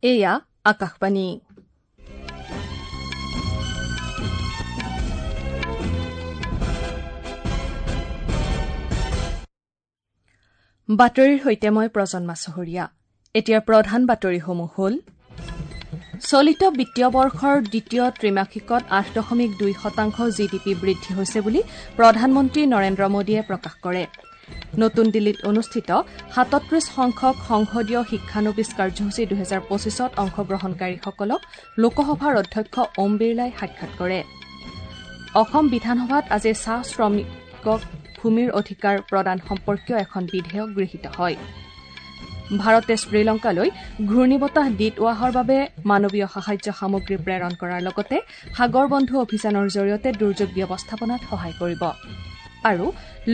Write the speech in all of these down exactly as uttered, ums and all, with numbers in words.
এয়া আকাশবাণী। বাতৰিৰ সৈতে মই প্ৰজন্মা চহৰীয়া। এতিয়া প্ৰধান বাতৰিসমূহ হ'ল: চলিত বিত্তীয় বৰ্ষৰ দ্বিতীয় ত্ৰিমাসিকত আঠ দশমিক দুই শতাংশ জি ডি পি বৃদ্ধি হৈছে বুলি প্ৰধানমন্ত্ৰী নৰেন্দ্ৰ মোদীয়ে প্ৰকাশ কৰে। নতুন দিল্লীত অনুষ্ঠিত সাতত্ৰিশ সংখ্যক সংসদীয় শিক্ষানবিচ কাৰ্যসূচী দুহেজাৰ পঁচিছত অংশগ্ৰহণকাৰীসকলক লোকসভাৰ অধ্যক্ষ ওম বিৰলাই সাক্ষাৎ কৰে। অসম বিধানসভাত আজি চাহ শ্ৰমিকক ভূমিৰ অধিকাৰ প্ৰদান সম্পৰ্কীয় এখন বিধেয়ক গৃহীত হয়। ভাৰতে শ্ৰীলংকালৈ ঘূৰ্ণীবতাহ ডিটৱাহৰ বাবে মানৱীয় সাহায্য সামগ্ৰী প্ৰেৰণ কৰাৰ লগতে সাগৰ বন্ধু অভিযানৰ জৰিয়তে দুৰ্যোগ ব্যৱস্থাপনাত সহায় কৰিব। আৰু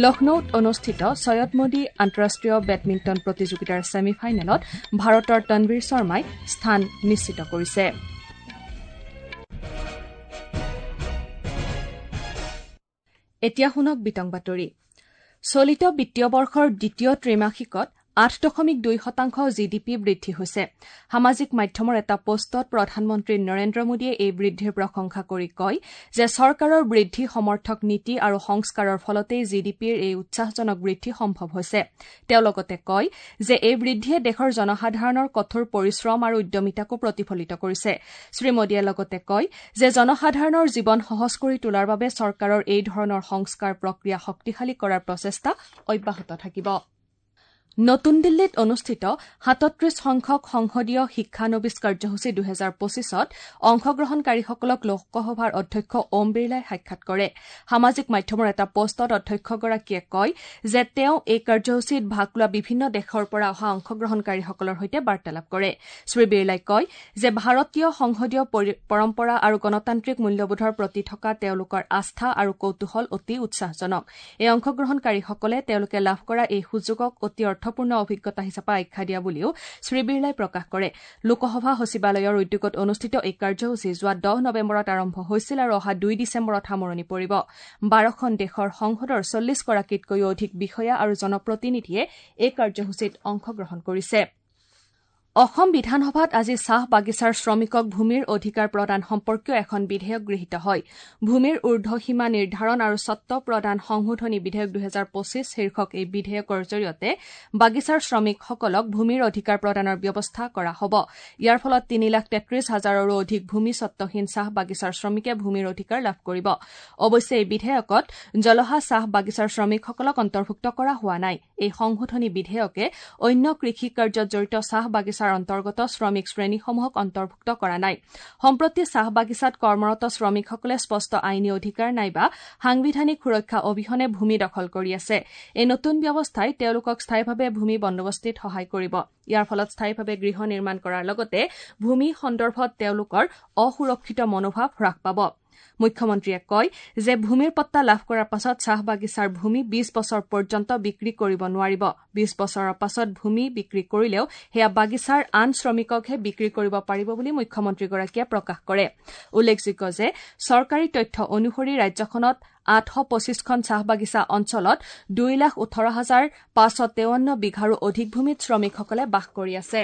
লক্ষ্ণৌত অনুষ্ঠিত ছৈয়দ মোদী আন্তঃৰাষ্ট্ৰীয় বেডমিণ্টন প্ৰতিযোগিতাৰ ছেমি ফাইনেলত ভাৰতৰ তনবীৰ শৰ্মাই স্থান নিশ্চিত কৰিছে। এতিয়া শুনক বিতং বাতৰি। চলিত বিত্তীয় বৰ্ষৰ দ্বিতীয় ত্ৰিমাসিকত আঠ দশমিক দুই শতাংশ জি ডি পি বৃদ্ধি হৈছে। সামাজিক মাধ্যমৰ এটা পোষ্টত প্ৰধানমন্ত্ৰী নৰেন্দ্ৰ মোদীয়ে এই বৃদ্ধিৰ প্ৰশংসা কৰি কয় যে চৰকাৰৰ বৃদ্ধি সমৰ্থক নীতি আৰু সংস্কাৰৰ ফলতেই জি ডি পিৰ এই উৎসাহজনক বৃদ্ধি সম্ভৱ হৈছে। তেওঁ লগতে কয় যে এই বৃদ্ধিয়ে দেশৰ জনসাধাৰণৰ কঠোৰ পৰিশ্ৰম আৰু উদ্যমিতাকো প্ৰতিফলিত কৰিছে। শ্ৰীমোদীয়ে লগতে কয় যে জনসাধাৰণৰ জীৱন সহজ কৰি তোলাৰ বাবে চৰকাৰৰ এই ধৰণৰ সংস্কাৰ প্ৰক্ৰিয়া শক্তিশালী কৰাৰ প্ৰচেষ্টা অব্যাহত থাকিব। নতুন দিল্লীত অনুষ্ঠিত সাতত্ৰিশ সংখ্যক সংসদীয় শিক্ষানবিচ কাৰ্যসূচী দুহেজাৰ পঁচিছত অংশগ্ৰহণকাৰীসকলক লোকসভাৰ অধ্যক্ষ ওম বিৰলাই সাক্ষাৎ কৰে। সামাজিক মাধ্যমৰ এটা পোষ্টত অধ্যক্ষগৰাকীয়ে কয় যে তেওঁ এই কাৰ্যসূচীত ভাগ লোৱা বিভিন্ন দেশৰ পৰা অহা অংশগ্ৰহণকাৰীসকলৰ সৈতে বাৰ্তালাপ কৰে। শ্ৰী বিৰলাই কয় যে ভাৰতীয় সংসদীয় পৰম্পৰা আৰু গণতান্ত্ৰিক মূল্যবোধৰ প্ৰতি থকা তেওঁলোকৰ আস্থা আৰু কৌতূহল অতি উৎসাহজনক। এই অংশগ্ৰহণকাৰীসকলে তেওঁলোকে লাভ কৰা এই সুযোগক অতি অৰ্থপূৰ্ণ অভিজ্ঞতা হিচাপে আখ্যা দিয়া বুলিও শ্ৰী বিৰলাই প্ৰকাশ কৰে। লোকসভা সচিবালয়ৰ উদ্যোগত অনুষ্ঠিত এই কাৰ্যসূচী যোৱা দহ নৱেম্বৰত আৰম্ভ হৈছিল আৰু অহা দুই ডিচেম্বৰত সামৰণি পৰিব। বাৰখন দেশৰ সংসদৰ চল্লিছগৰাকীতকৈও অধিক বিষয়া আৰু জনপ্ৰতিনিধিয়ে এই কাৰ্যসূচীত অংশগ্ৰহণ কৰিছে। অসম বিধানসভাত আজি চাহ বাগিচাৰ শ্ৰমিকক ভূমিৰ অধিকাৰ প্ৰদান সম্পৰ্কীয় এখন বিধেয়ক গৃহীত হয়। ভূমিৰ ঊৰ্ধসীমা নিৰ্ধাৰণ আৰু স্বত্ব প্ৰদান সংশোধনী বিধেয়ক দুহেজাৰ পঁচিছ শীৰ্ষক এই বিধেয়কৰ জৰিয়তে বাগিচাৰ শ্ৰমিকসকলক ভূমিৰ অধিকাৰ প্ৰদানৰ ব্যৱস্থা কৰা হ'ব। ইয়াৰ ফলত তিনি লাখ তেত্ৰিশ হাজাৰৰো অধিক ভূমি স্বত্বহীন চাহ বাগিচাৰ শ্ৰমিকে ভূমিৰ অধিকাৰ লাভ কৰিব। অৱশ্যে এই বিধেয়কত জলহা চাহ বাগিচাৰ শ্ৰমিকসকলক অন্তৰ্ভুক্ত কৰা হোৱা নাই। এই সংশোধনী বিধেয়কে অন্য কৃষি কাৰ্যত জড়িত চাহ বাগিচাৰ অন্তৰ্গত শ্ৰমিক শ্ৰেণীসমূহক অন্তৰ্ভুক্ত কৰা নাই। সম্প্ৰতি চাহ বাগিচাত কৰ্মৰত শ্ৰমিকসকলে স্পষ্ট আইনী অধিকাৰ নাইবা সাংবিধানিক সুৰক্ষা অবিহনে ভূমি দখল কৰি আছে। এই নতুন ব্যৱস্থাই তেওঁলোকক স্থায়ীভাৱে ভূমি বন্দোবস্তিত সহায় কৰিব। ইয়াৰ ফলত স্থায়ীভাৱে গৃহ নিৰ্মাণ কৰাৰ লগতে ভূমি সন্দৰ্ভত তেওঁলোকৰ অসুৰক্ষিত মনোভাৱ হ্ৰাস পাব। মুখ্যমন্ত্ৰীয়ে কয় যে ভূমিৰ পট্টা লাভ কৰাৰ পাছত চাহ বাগিচাৰ ভূমি বিশ বছৰ পৰ্যন্ত বিক্ৰী কৰিব নোৱাৰিব। বিশ বছৰৰ পাছত ভূমি বিক্ৰী কৰিলেও সেয়া বাগিচাৰ আন শ্ৰমিককহে বিক্ৰী কৰিব পাৰিব বুলি মুখ্যমন্ত্ৰীগৰাকীয়ে প্ৰকাশ কৰে। উল্লেখযোগ্য যে চৰকাৰী তথ্য অনুসৰি ৰাজ্যখনত আঠশ পঁচিছখন চাহ বাগিচা অঞ্চলত দুই লাখ ওঠৰ হাজাৰ পাঁচশ তেৱন্ন বিঘাৰো অধিক ভূমিত শ্ৰমিকসকলে বাস কৰি আছে।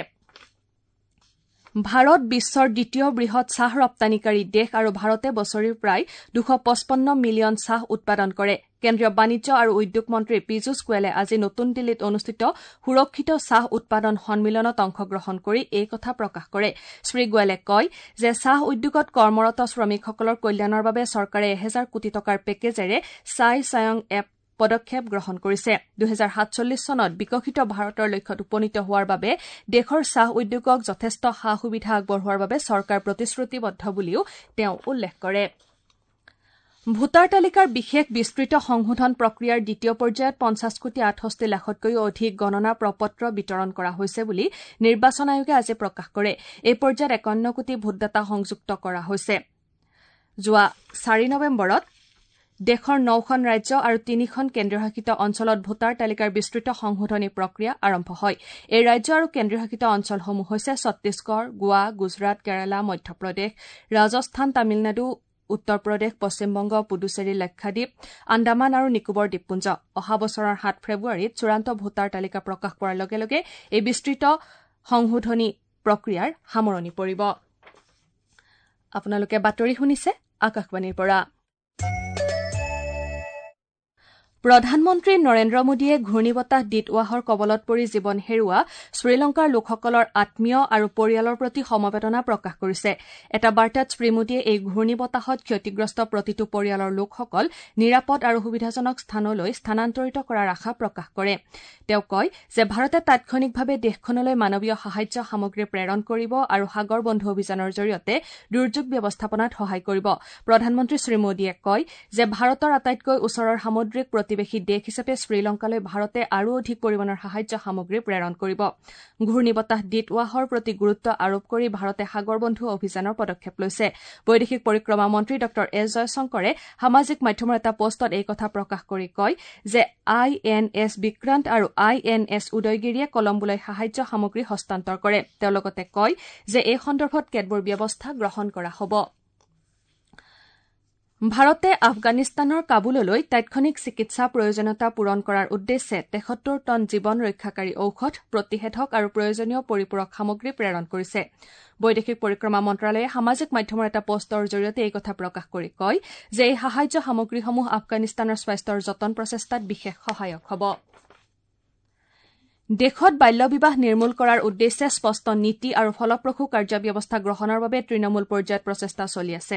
ভাৰত বিশ্বৰ দ্বিতীয় বৃহৎ চাহ ৰপ্তানিকাৰী দেশ আৰু ভাৰতে বছৰি প্ৰায় দুশ পঁচপন্ন মিলিয়ন চাহ উৎপাদন কৰে। কেন্দ্ৰীয় বাণিজ্য আৰু উদ্যোগ মন্ত্ৰী পীযুষ গোৱেলে আজি নতুন দিল্লীত অনুষ্ঠিত সুৰক্ষিত চাহ উৎপাদন সন্মিলনত অংশগ্ৰহণ কৰি এই কথা প্ৰকাশ কৰে। শ্ৰী গোৱেলে কয় যে চাহ উদ্যোগত কৰ্মৰত শ্ৰমিকসকলৰ কল্যাণৰ বাবে চৰকাৰে এহেজাৰ কোটি টকাৰ পেকেজেৰে চাই চায়ং এপ পদক্ষেপ গ্ৰহণ কৰিছে। দুহেজাৰ সাতচল্লিছ চনত বিকশিত ভাৰতৰ লক্ষ্যত উপনীত হোৱাৰ বাবে দেশৰ চাহ উদ্যোগক যথেষ্ট সা সুবিধা আগবঢ়োৱাৰ বাবে চৰকাৰ প্ৰতিশ্ৰুতিবদ্ধ বুলিও তেওঁ উল্লেখ কৰে। ভোটাৰ তালিকাৰ বিশেষ বিস্তৃত সংশোধন প্ৰক্ৰিয়াৰ দ্বিতীয় পৰ্যায়ত পঞ্চাছ কোটি আঠষষ্ঠি লাখতকৈও অধিক গণনা প্ৰপত্ৰ বিতৰণ কৰা হৈছে বুলি নিৰ্বাচন আয়োগে আজি প্ৰকাশ কৰে। এই পৰ্যায়ত একাৱন্ন কোটি ভোটদাতা সংযুক্ত কৰা হৈছে। যোৱা চাৰি নৱেম্বৰত দেশৰ নখন ৰাজ্য আৰু তিনিখন কেন্দ্ৰীয়শাসিত অঞ্চলত ভোটাৰ তালিকাৰ বিস্তৃত সংশোধনী প্ৰক্ৰিয়া আৰম্ভ হয়। এই ৰাজ্য আৰু কেন্দ্ৰীয়শাসিত অঞ্চলসমূহ হৈছে ছত্তীশগড়, গোৱা, গুজৰাট, কেৰালা, মধ্যপ্ৰদেশ, ৰাজস্থান, তামিলনাডু, উত্তৰ প্ৰদেশ, পশ্চিমবংগ, পুডুচেৰী, লাক্ষাদ্বীপ, আন্দামান আৰু নিকোবৰ দ্বীপপুঞ্জ। অহা বছৰৰ সাত ফেব্ৰুৱাৰীত চূড়ান্ত ভোটাৰ তালিকা প্ৰকাশ পোৱাৰ লগে লগে এই বিস্তৃত সংশোধনী প্ৰক্ৰিয়াৰ সামৰণি পৰিব। আপোনালোকে বাতৰি শুনিছে আকাশবাণীৰ পৰা। প্ৰধানমন্ত্ৰী নৰেন্দ্ৰ মোদীয়ে ঘূৰ্ণীবতাহ ডিটৱাহৰ কবলত পৰি জীৱন হেৰুওৱা শ্ৰীলংকাৰ লোকসকলৰ আত্মীয় আৰু পৰিয়ালৰ প্ৰতি সমবেদনা প্ৰকাশ কৰিছে। এটা বাৰ্তাত শ্ৰীমোদীয়ে এই ঘূৰ্ণীবতাহত ক্ষতিগ্ৰস্ত প্ৰতিটো পৰিয়ালৰ লোকসকল নিৰাপদ আৰু সুবিধাজনক স্থানলৈ স্থানান্তৰিত কৰাৰ আশা প্ৰকাশ কৰে। তেওঁ কয় যে ভাৰতে তাৎক্ষণিকভাৱে দেশখনলৈ মানৱীয় সাহায্য সামগ্ৰী প্ৰেৰণ কৰিব আৰু সাগৰ বন্ধু অভিযানৰ জৰিয়তে দুৰ্যোগ ব্যৱস্থাপনাত সহায় কৰিব। প্ৰধানমন্ত্ৰী শ্ৰীমোদীয়ে কয় যে ভাৰতৰ আটাইতকৈ ওচৰৰ সামুদ্ৰিক প্ৰতিবেশী দেশ হিচাপে শ্ৰীলংকালৈ ভাৰতে আৰু অধিক পৰিমাণৰ সাহায্য সামগ্ৰী প্ৰেৰণ কৰিব। ঘূৰ্ণীবতাহ ডিটৱাহৰ প্ৰতি গুৰুত্ব আৰোপ কৰি ভাৰতে সাগৰ বন্ধু অভিযানৰ পদক্ষেপ লৈছে। বৈদেশিক পৰিক্ৰমা মন্ত্ৰী ডঃ এছ জয়শংকৰে সামাজিক মাধ্যমৰ এটা পোষ্টত এই কথা প্ৰকাশ কৰি কয় যে আই এন এছ বিক্ৰান্ত আৰু আই এন এছ উদয়গিৰিয়ে কলম্বোলৈ সাহায্য সামগ্ৰী হস্তান্তৰ কৰে। তেওঁ লগতে কয় যে এই সন্দৰ্ভত কেতবোৰ ব্যৱস্থা গ্ৰহণ কৰা হ'ব। ভাৰতে আফগানিস্তানৰ কাবুললৈ তাৎক্ষণিক চিকিৎসা প্ৰয়োজনীয়তা পূৰণ কৰাৰ উদ্দেশ্যে তেসত্তৰ টন জীৱন ৰক্ষাকাৰী ঔষধ, প্ৰতিষেধক আৰু প্ৰয়োজনীয় পৰিপূৰক সামগ্ৰী প্ৰেৰণ কৰিছে। বৈদেশিক পৰিক্ৰমা মন্ত্ৰালয়ে সামাজিক মাধ্যমৰ এটা পোষ্টৰ জৰিয়তে এই কথা প্ৰকাশ কৰি কয় যে এই সাহায্য সামগ্ৰীসমূহ আফগানিস্তানৰ স্বাস্থ্যৰ যতন প্ৰচেষ্টাত বিশেষ সহায়ক হ'ব। দেশত বাল্য বিবাহ নিৰ্মূল কৰাৰ উদ্দেশ্যে স্পষ্ট নীতি আৰু ফলপ্ৰসূ কাৰ্যব্যৱস্থা গ্ৰহণৰ বাবে তৃণমূল পৰ্যায়ত প্ৰচেষ্টা চলি আছে।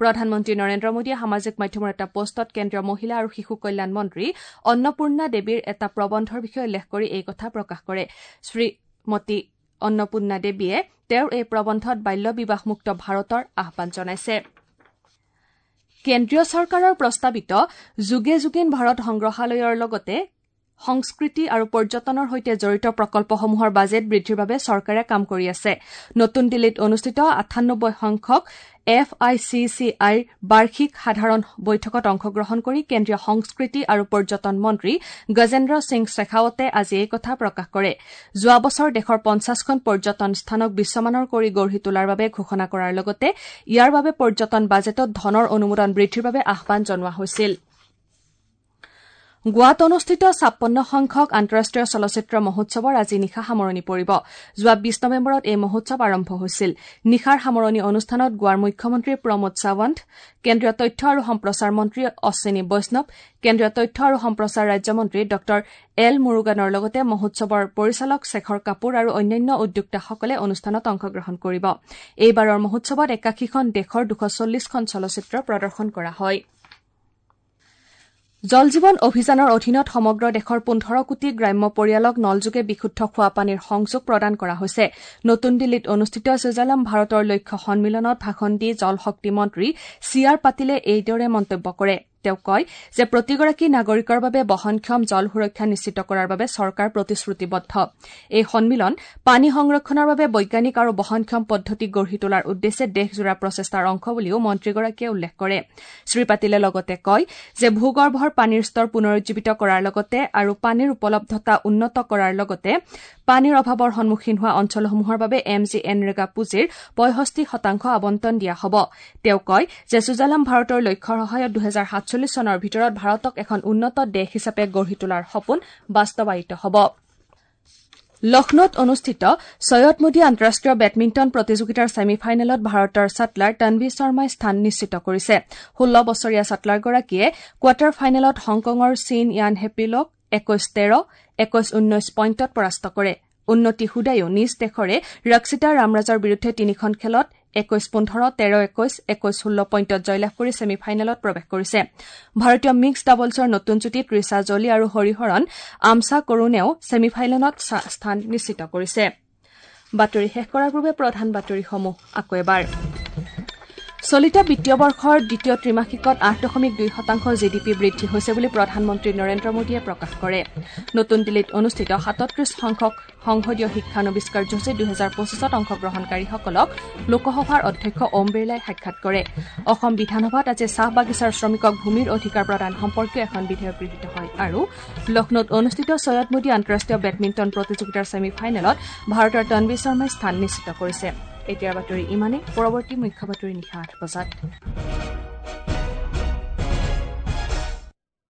প্ৰধানমন্ত্ৰী নৰেন্দ্ৰ মোদীয়ে সামাজিক মাধ্যমৰ এটা পোষ্টত কেন্দ্ৰীয় মহিলা আৰু শিশু কল্যাণ মন্ত্ৰী অন্নপূৰ্ণা দেৱীৰ এটা প্ৰবন্ধৰ বিষয়ে উল্লেখ কৰি এই কথা প্ৰকাশ কৰে। শ্ৰীমতী অন্নপূৰ্ণা দেৱীয়ে তেওঁৰ এই প্ৰবন্ধত বাল্য বিবাহমুক্ত ভাৰতৰ আহ্বান জনাইছে। কেন্দ্ৰীয় চৰকাৰৰ প্ৰস্তাৱিত যুগে যুগীন ভাৰত সংগ্ৰহালয়ৰ লগতে সংস্কৃতি আৰু পৰ্যটনৰ সৈতে জড়িত প্ৰকল্পসমূহৰ বাজেট বৃদ্ধিৰ বাবে চৰকাৰে কাম কৰি আছে। নতুন দিল্লীত অনুষ্ঠিত আঠানব্বৈ সংখ্যক এফ I C C আইৰ বাৰ্ষিক সাধাৰণ বৈঠকত অংশগ্ৰহণ কৰি কেন্দ্ৰীয় সংস্কৃতি আৰু পৰ্যটন মন্ত্ৰী গজেন্দ্ৰ সিং শেখাৱতে আজি এই কথা প্ৰকাশ কৰে। যোৱা বছৰ দেশৰ পঞ্চাশখন পৰ্যটন স্থানক বিশ্বমানৰ কৰি গঢ়ি তোলাৰ বাবে ঘোষণা কৰাৰ লগতে ইয়াৰ বাবে পৰ্যটন বাজেটত ধনৰ অনুমোদন বৃদ্ধিৰ বাবে আহ্বান জনোৱা হৈছিল। গোৱাত অনুষ্ঠিত ছাপন্ন সংখ্যক আন্তঃৰাষ্ট্ৰীয় চলচ্চিত্ৰ মহোৎসৱৰ আজি নিশা সামৰণি পৰিব। যোৱা বিশ নৱেম্বৰত এই মহোৎসৱ আৰম্ভ হৈছিল। নিশাৰ সামৰণি অনুষ্ঠানত গোৱাৰ মুখ্যমন্ত্ৰী প্ৰমোদ সাৱন্ত, কেন্দ্ৰীয় তথ্য আৰু সম্প্ৰচাৰ মন্ত্ৰী অশ্বিনী বৈষ্ণৱ, কেন্দ্ৰীয় তথ্য আৰু সম্প্ৰচাৰ ৰাজ্যমন্ত্ৰী ডঃ এল মুৰুগানৰ লগতে মহোৎসৱৰ পৰিচালক শেখৰ কাপুৰ আৰু অন্যান্য উদ্যোক্তাসকলে অনুষ্ঠানত অংশগ্ৰহণ কৰিব। এইবাৰৰ মহোৎসৱত একাশীখন দেশৰ দুশ চল্লিশখন চলচ্চিত্ৰ প্ৰদৰ্শন কৰা হয়। জল জীৱন অভিযানৰ অধীনত সমগ্ৰ দেশৰ পোন্ধৰ কোটি গ্ৰাম্য পৰিয়ালক নলযোগে বিশুদ্ধ খোৱাপানীৰ সংযোগ প্ৰদান কৰা হৈছে। নতুন দিল্লীত অনুষ্ঠিত সুজলাম ভাৰতৰ লক্ষ্য সন্মিলনত ভাষণ দি জল শক্তি মন্ত্ৰী চি আৰ পাটিলে এইদৰে মন্তব্য কৰে। তেওঁ কয় যে প্ৰতিগৰাকী নাগৰিকৰ বাবে বহনক্ষম জল সুৰক্ষা নিশ্চিত কৰাৰ বাবে চৰকাৰ প্ৰতিশ্ৰুতিবদ্ধ। এই সন্মিলন পানী সংৰক্ষণৰ বাবে বৈজ্ঞানিক আৰু বহনক্ষম পদ্ধতি গঢ়ি তোলাৰ উদ্দেশ্যে দেশজোৰা প্ৰচেষ্টাৰ অংশ বুলিও মন্ত্ৰীগৰাকীয়ে উল্লেখ কৰে। শ্ৰীপাটিলে লগতে কয় যে ভূগৰ্ভৰ পানীৰ স্তৰ পুনৰুজ্জীৱিত কৰাৰ লগতে আৰু পানীৰ উপলব্ধতা উন্নত কৰাৰ লগতে পানীৰ অভাৱৰ সন্মুখীন হোৱা অঞ্চলসমূহৰ বাবে এম জি এনৰেগা পুঁজিৰ পঁয়ষষ্ঠি শতাংশ আবণ্টন দিয়া হ'ব। তেওঁ কয় যে সুজলাম ভাৰতৰ লক্ষ্যৰ সহায়ত দুহেজাৰ সাতচল্লিছ চনৰ ভিতৰত ভাৰতক এখন উন্নত দেশ হিচাপে গঢ়ি তোলাৰ সপোন বাস্তৱায়িত হ'ব। লক্ষ্ণৌত অনুষ্ঠিত ছৈয়দ মোদী আন্তঃৰাষ্ট্ৰীয় বেডমিণ্টন প্ৰতিযোগিতাৰ ছেমি ফাইনেলত ভাৰতৰ শ্বাটলাৰ তনভি শৰ্মাই স্থান নিশ্চিত কৰিছে। ষোল্ল বছৰীয়া শ্বাটলাৰগৰাকীয়ে কোৱাৰ্টাৰ ফাইনেলত হংকঙৰ চিন য়ান হেপিলক একৈশ তেৰ, একৈশ ঊনৈশ পইণ্টত পৰাস্ত কৰে। উন্নতি হুদায়ো নিজ দেশৰে ৰক্ষিতা ৰামৰাজৰ বিৰুদ্ধে তিনিখন খেলত একৈশ পোন্ধৰ, তেৰ একৈশ, একৈশ ষোল্ল পইণ্টত জয়লাভ কৰি ছেমি ফাইনেলত প্ৰৱেশ কৰিছে। ভাৰতীয় মিক্সড ডাবলছৰ নতুন যুটী ত্ৰিশা জলি আৰু হৰিহৰণ আমচা কৰুণেও ছেমি ফাইনেলত স্থান নিশ্চিত কৰিছে। বাতৰি শেষ কৰাৰ পূৰ্বে প্ৰধান বাতৰিসমূহ আকৌ এবাৰ। চলিত বিত্তীয় বৰ্ষৰ দ্বিতীয় ত্ৰিমাসিকত আঠ দশমিক দুই শতাংশ জি ডি পি বৃদ্ধি হৈছে বুলি প্ৰধানমন্ত্ৰী নৰেন্দ্ৰ মোদীয়ে প্ৰকাশ কৰে। নতুন দিল্লীত অনুষ্ঠিত সাতত্ৰিশ সংখ্যক সংসদীয় শিক্ষানবিচ কাৰ্যসূচী দুহেজাৰ পঁচিছত অংশগ্ৰহণকাৰীসকলক লোকসভাৰ অধ্যক্ষ ওম বিৰলাই সাক্ষাৎ কৰে। অসম বিধানসভাত আজি চাহ বাগিচাৰ শ্ৰমিকক ভূমিৰ অধিকাৰ প্ৰদান সম্পৰ্কীয় এখন বিধেয়ক গৃহীত হয়। আৰু লক্ষ্ণৌত অনুষ্ঠিত ছৈয়দ মোদী আন্তঃৰাষ্ট্ৰীয় বেডমিণ্টন প্ৰতিযোগিতাৰ ছেমি ফাইনেলত ভাৰতৰ তনভি শৰ্মাই স্থান নিশ্চিত কৰিছে। এতিয়াৰ বাতৰি ইমানেই। পৰৱৰ্তী মুখ্য বাতৰি নিশা আঠ বজাত।